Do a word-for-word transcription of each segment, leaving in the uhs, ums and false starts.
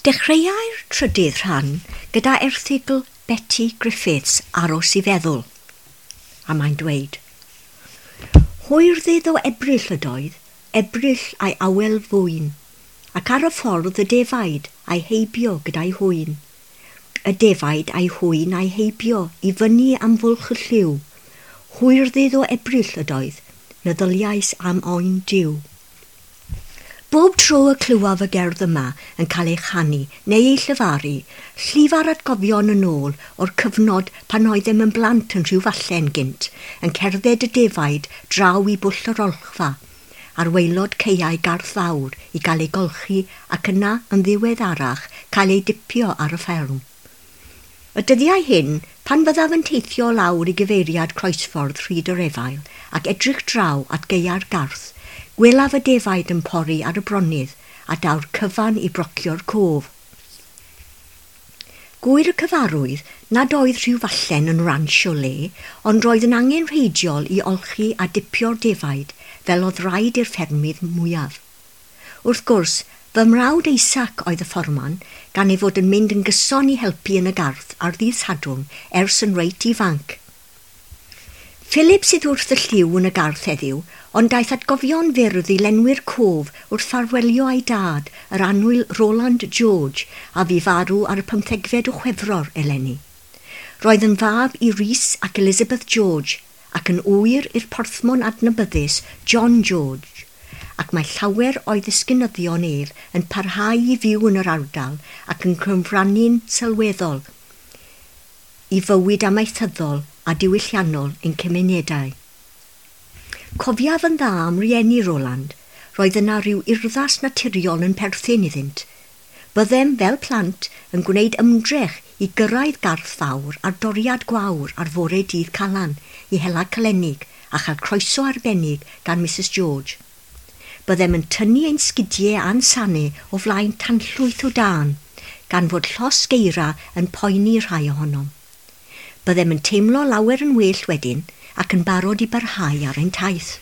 Dechreuai'r trydydd rhan gyda erthygl Betty Griffiths Aros i Feddwl, a mae'n dweud, Hwyrddydd o Ebrill ydoedd, Ebrill a'i awel fwyn, ac ar y ffordd y defaid a'i heibio gyda'i hwyn. Y defaid a'i hwyn a'i heibio i fyny am fwlch y lliw. Hwyrddydd o Ebrill ydoedd, meddyliais am oen Duw. Bob tro y clywaf y gerdd yma yn cael ei chanu neu ei llyfaru, llifa'r atgofion yn ôl o'r cyfnod pan oeddem yn blant yn Rhiwfallen gynt, yn cerdded y defaid draw i bwll yr olchfa, ar waelod caeau Garth Fawr i gael ei golchi ac yna yn ddiweddarach cael ei dipio ar y fferm. Y dyddiau hyn, pan fyddaf yn teithio lawr i gyfeiriad croesffordd Rhyd yr Efail ac edrych draw at gaeau'r Garth, gwelaf y defaid yn pori ar y bronydd a daw'r cyfan i brocio'r cof. Gŵyr y cyfarwydd nad oedd Rhiwfallen yn ranch o le, ond roedd yn angenrheidiol i olchi a dipio'r defaid fel oedd rhaid i'r ffermydd mwyaf. Wrth gwrs, fy mrawd Isaac oedd y fforman, gan ei fod yn mynd yn gyson i helpu yn y gardd ar ddydd Sadwrn ers yn reit ifanc. Philip sydd wrth y llyw yn y gardd heddiw, ond daeth atgofion fyrdd i lenwi'r cof wrth ffarwelio â'i dad, yr annwyl Roland George, a fu farw ar y pymthegfed o Chwefror eleni. Roedd yn fab i Rhys ac Elizabeth George, ac yn ŵyr i'r porthmon adnabyddus John George, ac mae llawer o'i ddisgynyddion ef yn parhau i fyw yn yr ardal ac yn cyfrannu'n sylweddol i fywyd amaethyddol a diwylliannol ein cymunedau. Cofiaf yn dda am rieni Roland, roedd yna rhyw urddas naturiol yn perthyn iddynt. Byddem fel plant yn gwneud ymdrech i gyrraedd Garth Fawr ar doriad gwawr ar fore dydd Calan i hela calenig a chael croeso arbennig gan Mrs George. Byddem yn tynnu ein sgidiau a'n sanau o flaen tanllwyth o dân, gan fod llosg eira yn poeni rhai ohonom. Byddem yn teimlo lawer yn well wedyn ac yn barod i barhau ar ein taith.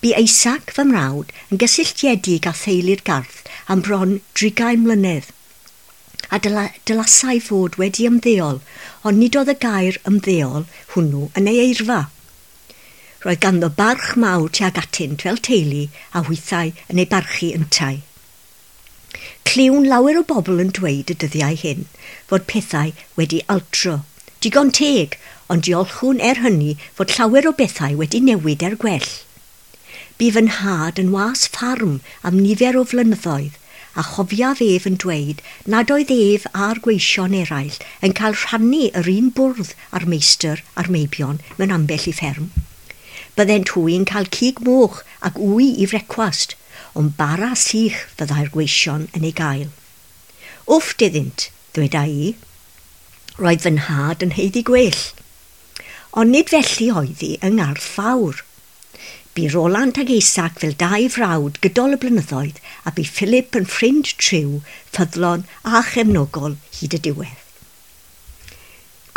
Bu Isaac, fy mrawd, yn gysylltiedig â theulu'r Garth am bron drigain mlynedd, a dyla, dylasai fod wedi ymddeol, ond nid oedd y gair ymddeol hwnnw yn ei eirfa. Roedd ganddo barch mawr tuag atynt fel teulu a hwythau yn ei barchu yntau. Clywn lawer o bobl yn dweud y dyddiau hyn fod pethau wedi altro. Digon teg, ond diolchwn er hynny fod llawer o bethau wedi newid er gwell. Bu fy nhad yn was ffarm am nifer o flynyddoedd, a chofiaf ef yn dweud nad oedd ef a'r gweision eraill yn cael rhannu yr un bwrdd â'r meistr a'r meibion mewn ambell i fferm. Byddent hwy yn cael cig moch ac wy i frecwast, ond bara sych fyddai'r gweision yn ei gael. Wfft iddynt, ddweda i. Roedd fy nhad yn haeddu gwell. Ond nid felly oedd hi yng Ngarth Fawr. Bu Roland ag Isaac fel dau frawd gydol y blynyddoedd a bu Philip yn ffrind triw, ffyddlon a chefnogol hyd y diwedd.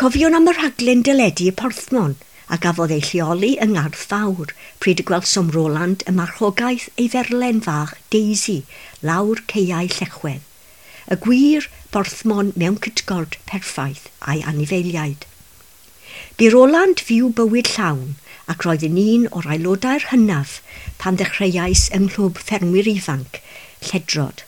Cofiwn am y rhaglen deledu y Porthmon a gafodd ei lleoli yng Ngarth Fawr pryd y gwelsom Roland y marchogaeth ei ferlen fach Daisy lawr caeau Llechwedd, y gwir Borthmon mewn cytgord perffaith a'i anifeiliaid. Bu Roland fyw bywyd llawn ac roedd yn un o'r aelodau'r hynaf pan ddechreuais yng nghlwb ffermwyr ifanc, Lledrod.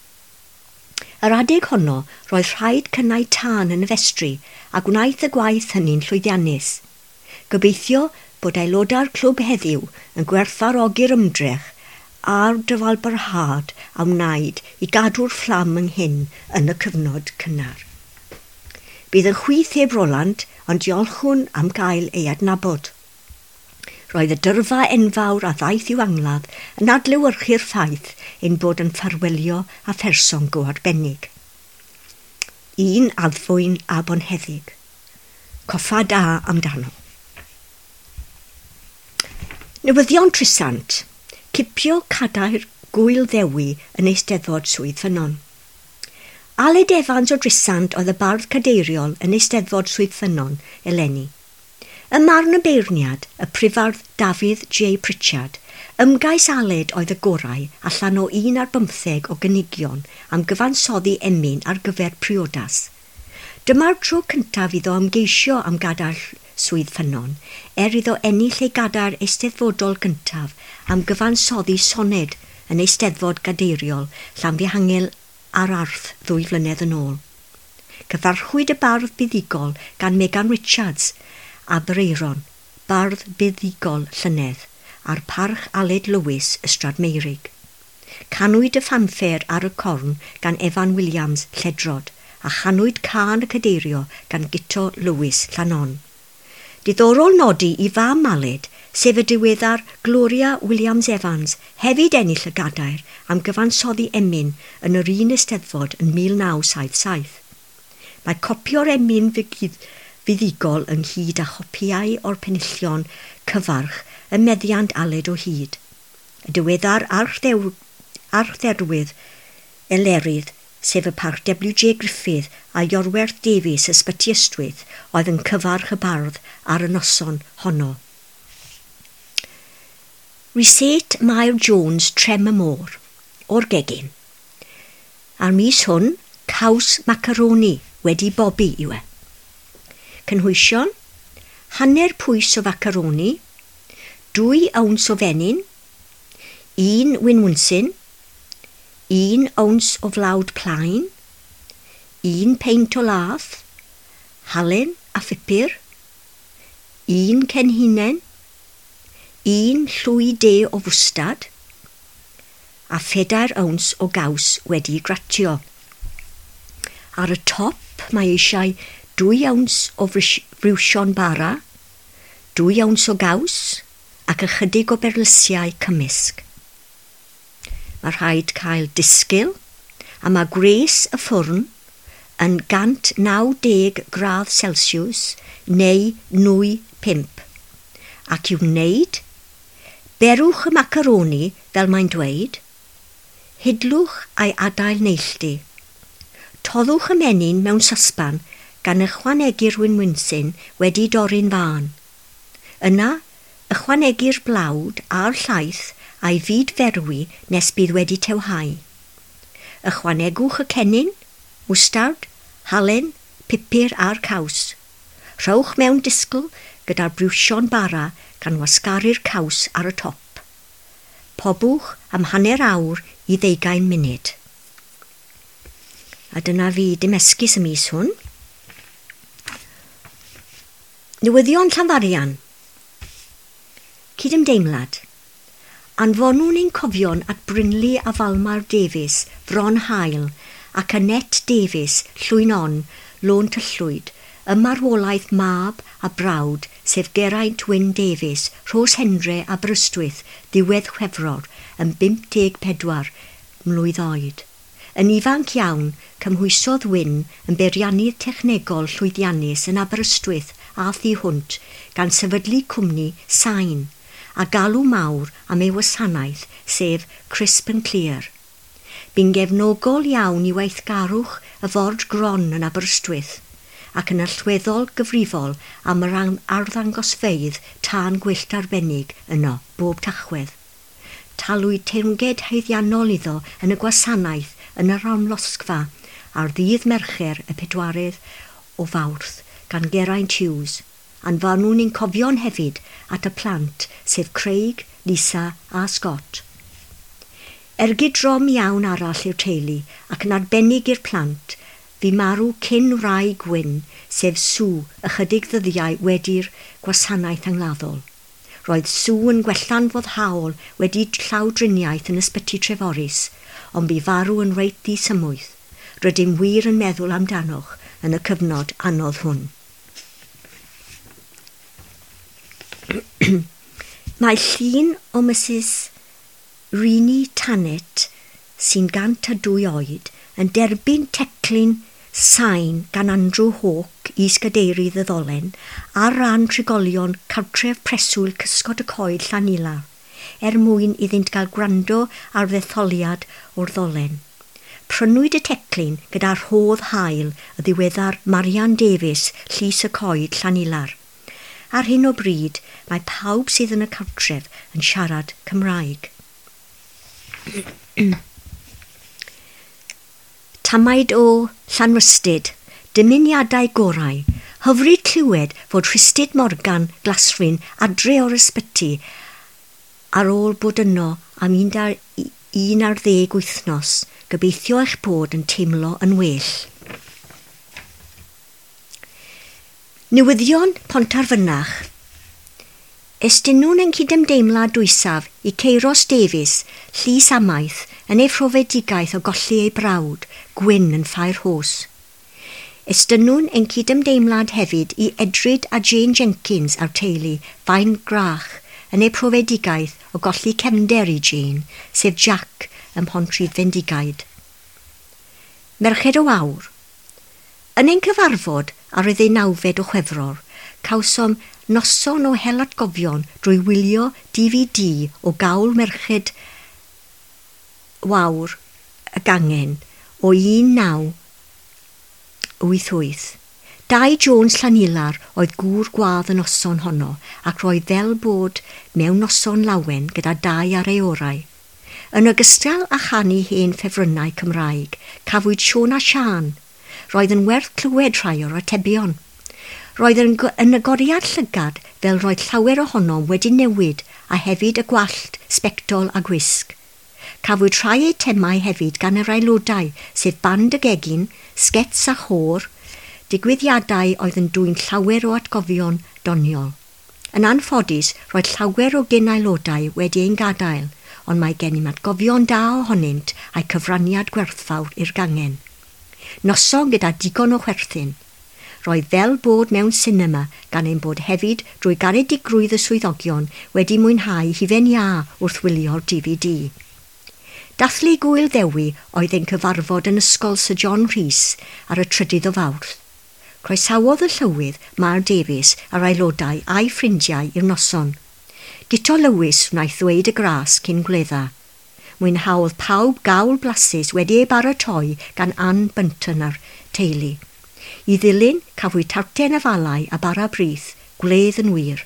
Yr adeg honno roedd rhaid cynnau tân yn y festri a gwnaeth y gwaith hynny'n llwyddiannus. Gobeithio bod aelodau'r clwb heddiw yn gwerthfawrogi'r ymdrech a'r dyfalbarhad a wnaed i gadw'r fflam ynghyn yn y cyfnod cynnar. Bydd yn chwith heb Roland, ond diolchwn am gael ei adnabod. Roedd y dyrfa enfawr a ddaeth i'w angladd yn adlewyrchu'r ffaith ein bod yn ffarwelio â pherson go arbennig. Un addfwyn a bonheddig. Coffa da amdano. Newyddion Trisant. Cipio cadair Gŵyl Ddewi yn Eisteddfod Swydd Ffynnon. Aled Evans o Drisant oedd y bardd cadeiriol yn Eisteddfod Swydd Ffynnon eleni. Ym marn y beirniad, y prifardd Dafydd J Pritchard, Ymgais Aled oedd y gorau allan o un ar bymtheg o gynigion am gyfansoddi emyn ar gyfer priodas. Dyma'r tro cyntaf iddo ymgeisio am gadair Swydd Ffynnon, er iddo ennill ei gadair eisteddfodol gyntaf am gyfansoddi soned yn Eisteddfod Gadeiriol Llanfihangel ar Arth ddwy flynedd yn ôl. Cyfarchwyd y bardd buddugol gan Megan Richards, Aberaeron, bardd buddugol llynedd, a'r parch Aled Lewis Ystrad Meirig. Canwyd y ffanffer ar y corn gan Evan Williams Lledrod a chanwyd cân y cadeirio gan Guto Lewis Llanon. Diddorol nodi i fam Aled, sef y diweddar Gloria Williams Evans, hefyd ennill y gadair am gyfansoddi emyn yn yr un eisteddfod yn mil naw saith saith. Mae copio'r emyn fuddugol ynghyd â chopiau o'r penillion cyfarch ym meddiant Aled o hyd. Y diweddar archdderwydd Elerydd, sef y parch W J Griffith a Iorwerth Davies Ysbyty Ystwyth, oedd yn cyfarch y bardd ar y noson honno. Reset Mair Jones Trem y Môr, o'r gegin. A'r mis hwn, caws macaroni wedi bobi yw e. Cynhwysion, hanner pwys o facaroni, dwy owns o fenyn, un winwnsyn, un owns o flawd plaen, un peint o lath, halen a phupur, un cenhinen, un llwy de o fwstad, a phedair owns o gaws wedi gratio. Ar y top mae eisiau dwy owns o friwsion bara, dwy owns o gaws ac ychydig o berlysiau cymysg. Mae rhaid cael disgyl, a mae gwres y ffwrn yn gant naw deg gradd Celsius neu nwy pump. Ac i'w wneud, berwch y macaroni fel mae'n dweud, hidlwch a'i adael neilltu. Toddwch y menyn mewn sosban gan ychwanegu'r winwnsyn wedi dorri'n fân. Yna, ychwanegu'r blawd a'r llaeth a'i fyd ferwi nes bydd wedi tewhau. Ychwanegwch y cennin, mwstard, halen, pupur a'r caws. Rhowch mewn disgl gyda'r briwsion bara gan wasgaru'r caws ar y top. Pobwch am hanner awr i ddeugain munud. A dyna fi dim esgus y mis hwn. Newyddion Llanfarian. Cydymdeimlad. Anfonwn ein cofion at Brynley a Falmar Davies, Fron Hael, ac Annette Davies, Llwyn On, Lôn Tyllwyd, y marwolaeth mab a brawd, sef Geraint Wyn Davies, Rhos Hendre a Aberystwyth, ddiwedd Chwefror, yn bump deg pedwar mlwydd oed. Yn ifanc iawn, cymhwysodd Wyn yn beiriannydd technegol llwyddiannus yn Aberystwyth a thu hwnt, gan sefydlu cwmni Sain, a galw mawr am ei wasanaeth, sef Crisp and Clear. Bu'n gefnogol iawn i weithgarwch y ford gron yn Aberystwyth, ac yn allweddol gyfrifol am yr arddangosfeydd tân gwyllt arbennig yno bob Tachwedd. Talwyd teyrnged haeddiannol iddo yn y gwasanaeth yn yr amlosgfa ar ddydd Mercher y pedwaredd o Fawrth gan Geraint Hughes. Anfonwn ein cofion hefyd at y plant, sef Craig, Lisa a Scott. Ergyd drom iawn arall i'r teulu ac yn arbennig i'r plant, fu marw cyn wraig Wyn, sef Sue, ychydig ddyddiau wedi'r gwasanaeth angladdol. Roedd Sue yn gwella'n foddhaol wedi llawdriniaeth yn ysbyty Treforys, ond bu farw yn reit ddisymwyth. Rydym wir yn meddwl amdanoch yn y cyfnod anodd hwn. Mae llun o Missus Rini Tannet, sy'n gant a dwy oed, yn derbyn teclyn sain gan Andrew Hawke, is-gadeirydd y ddolen, ar ran trigolion cartref preswyl Cysgod y Coed Llanilar, er mwyn iddynt gael gwrando ar ddetholiad o'r ddolen. Prynwyd y teclyn gyda rhodd hael y ddiweddar Marian Davies, Llys y Coed Llanilar. Ar hyn o bryd, mae pawb sydd yn y cartref yn siarad Cymraeg. Tamaid o Llanrhystud, dymuniadau gorau, hyfryd clywed fod Rhystud Morgan Glasfryn adre o'r ysbyty ar ôl bod yno am un ar ddeg wythnos, gobeithio eich bod yn teimlo yn well. Newyddion Pontarfynach. Estynwn ein cydymdeimlad dwysaf i Ceiros Davies, Llys Amaeth, yn ei phrofedigaeth o golli ei brawd, Gwyn yn Ffair Hos. Estynwn ein cydymdeimlad hefyd i Edryd a Jane Jenkins a'r teulu Fain Grach yn ei profedigaeth o golli cefnder i Jane, sef Jack ym Mhontrhydfendigaid. Merched o Awr. Yn ein cyfarfod ar y ddeunawfed o Chwefror, cawsom noson o hel atgofion drwy wylio D V D o gawl Merched Wawr y Gangen o un naw wyth wyth. Dai Jones Llanilar oedd gŵr gwadd y noson honno ac roedd fel bod mewn noson lawen gyda dau ar ei orau. Yn ogystal â chanu hen ffefrynnau Cymraeg, cafwyd Siôn a Siân. Roedd yn werth clywed rhai o'r atebion. Roedd yn, yn agoriad llygad fel roedd llawer ohonom wedi newid a hefyd y gwallt, sbectol a gwisg. Cafwyd rhai eitemau hefyd gan yr aelodau, sef band y gegin, sgets a chôr, digwyddiadau oedd yn dwyn llawer o atgofion doniol. Yn anffodus, roedd llawer o gyn-aelodau wedi ein gadael, ond mae gennym atgofion da ohonynt a'i cyfraniad gwerthfawr i'r gangen. Noson gyda digon o chwerthin. Roedd fel bod mewn sinema gan ein bod hefyd drwy garedigrwydd y swyddogion wedi mwynhau hufen iâ wrth wylio'r D V D. Dathlu Gŵyl Ddewi oedd ein cyfarfod yn ysgol Sir John Rhys ar y trydydd o Fawrth. Croesawodd y llywydd Mair Davies a'r aelodau a'i ffrindiau i'r noson. Guto Lewis wnaeth ddweud y gras cyn gwledda. Mwynhaodd pawb gawl blasus wedi ei baratoi gan Ann Bunton a'r teulu. I ddilyn, cafwyd tarten afalau a bara brith, gwledd yn wir.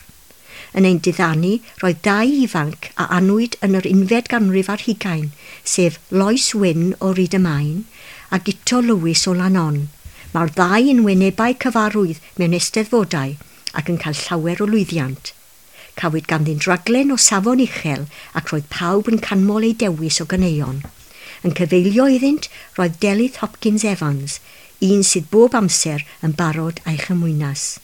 Yn ein diddanu, roedd dau ifanc a anwyd yn yr unfed ganrif ar hugain, sef Lois Wyn o Ryd-y-main a Guto Lewis o Lanon. Mae'r ddau yn wynebau cyfarwydd mewn eisteddfodau ac yn cael llawer o lwyddiant. Cafwyd ganddynt raglen o safon uchel ac roedd pawb yn canmol eu dewis o ganeuon. Yn cyfeilio iddynt roedd Delyth Hopkins Evans, un sydd bob amser yn barod a'i chymwynas.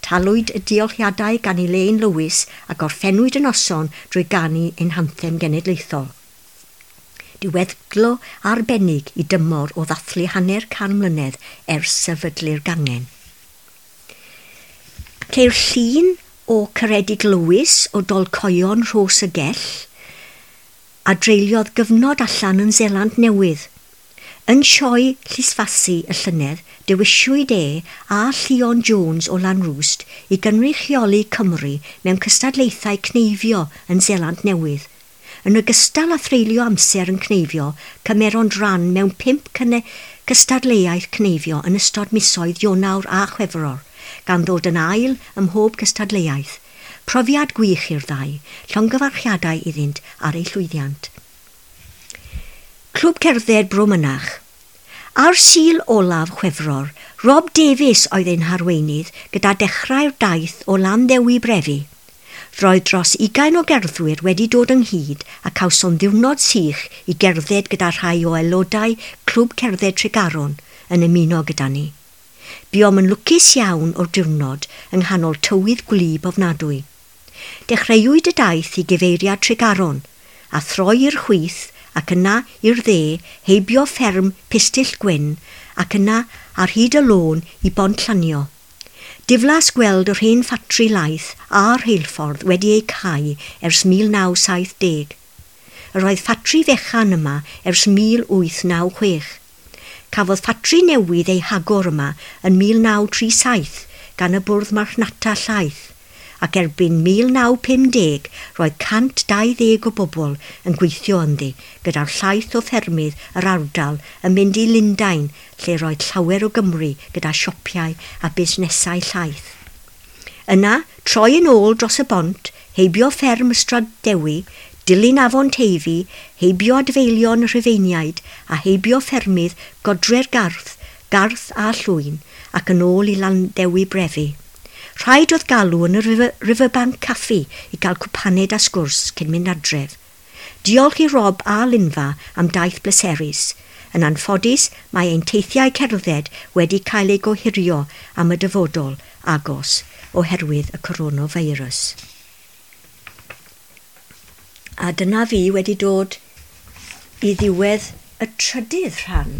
Talwyd y diolchiadau gan Elaine Lewis a gorffennwyd y noson drwy ganu ein hanthem genedlaethol. Diweddglo arbennig i dymor o ddathlu hanner can mlynedd ers sefydlu'r gangen. Ceir llun o Ceredig Lewis o Dolcoion Rhos y Gell a dreuliodd gyfnod allan yn Seland Newydd. Yn sioe Llysfasi y llynedd, dewiswyd e a Llion Jones o Lanrwst i gynrychioli Cymru mewn cystadlaethau cneifio yn Seland Newydd. Yn ogystal â threulio amser yn cneifio, cymeront ran mewn pump cystadleuaeth cneifio yn ystod misoedd Ionawr a Chwefror, gan ddod yn ail ym mhob cystadleuaeth. Profiad gwych i'r ddau, llongyfarchiadau iddynt ar eu llwyddiant. Clwb Cerdded Bro Mynach. Ar Sul olaf Chwefror, Rob Davies oedd ein harweinydd gyda dechrau'r daith o Landdewi Brefi. Roedd dros ugain o gerddwyr wedi dod ynghyd a cawson ddiwrnod sych i gerdded gyda rhai o aelodau Clwb Cerdded Tregaron yn ymuno gyda ni. Buom yn lwcus iawn o'r diwrnod yng nghanol tywydd gwlyb ofnadwy. Dechreuwyd y daith i gyfeiriad Tregaron a throi i'r chwith ac yna i'r dde heibio fferm Pistyll Gwyn ac yna ar hyd y lôn i Bont Llanio. Diflas gweld yr hen ffatri laeth a'r rheilffordd wedi ei cau ers mil naw saith deg. Yr oedd ffatri fechan yma ers mil wyth naw chwech. Cafodd ffatri newydd ei hagor yma yn mil naw tri saith gan y bwrdd marchnata llaeth, ac erbyn mil naw pum deg roedd cant dau ddeg o bobl yn gweithio ynddi, gyda'r llaeth o ffermydd yr ardal yn mynd i Lundain, lle roedd llawer o Gymru gyda siopau a busnesau llaeth. Yna, troi yn ôl dros y bont, heibio fferm Ystrad Dewi, dilyn afon Teifi, heibio adfeilion y Rhufeiniaid a heibio ffermydd Godre'r Garth, Garth a Llwyn, ac yn ôl i Landdewi Brefi. Rhaid oedd galw yn y River, Riverbank Caffi i gael cwpaned a sgwrs cyn mynd adref. Diolch i Rob a Linfa am daith bleserus. Yn anffodus, mae ein teithiau cerdded wedi cael eu gohirio am y dyfodol agos oherwydd y coronavirus. A dyna fi wedi dod i ddiwedd y trydydd rhan.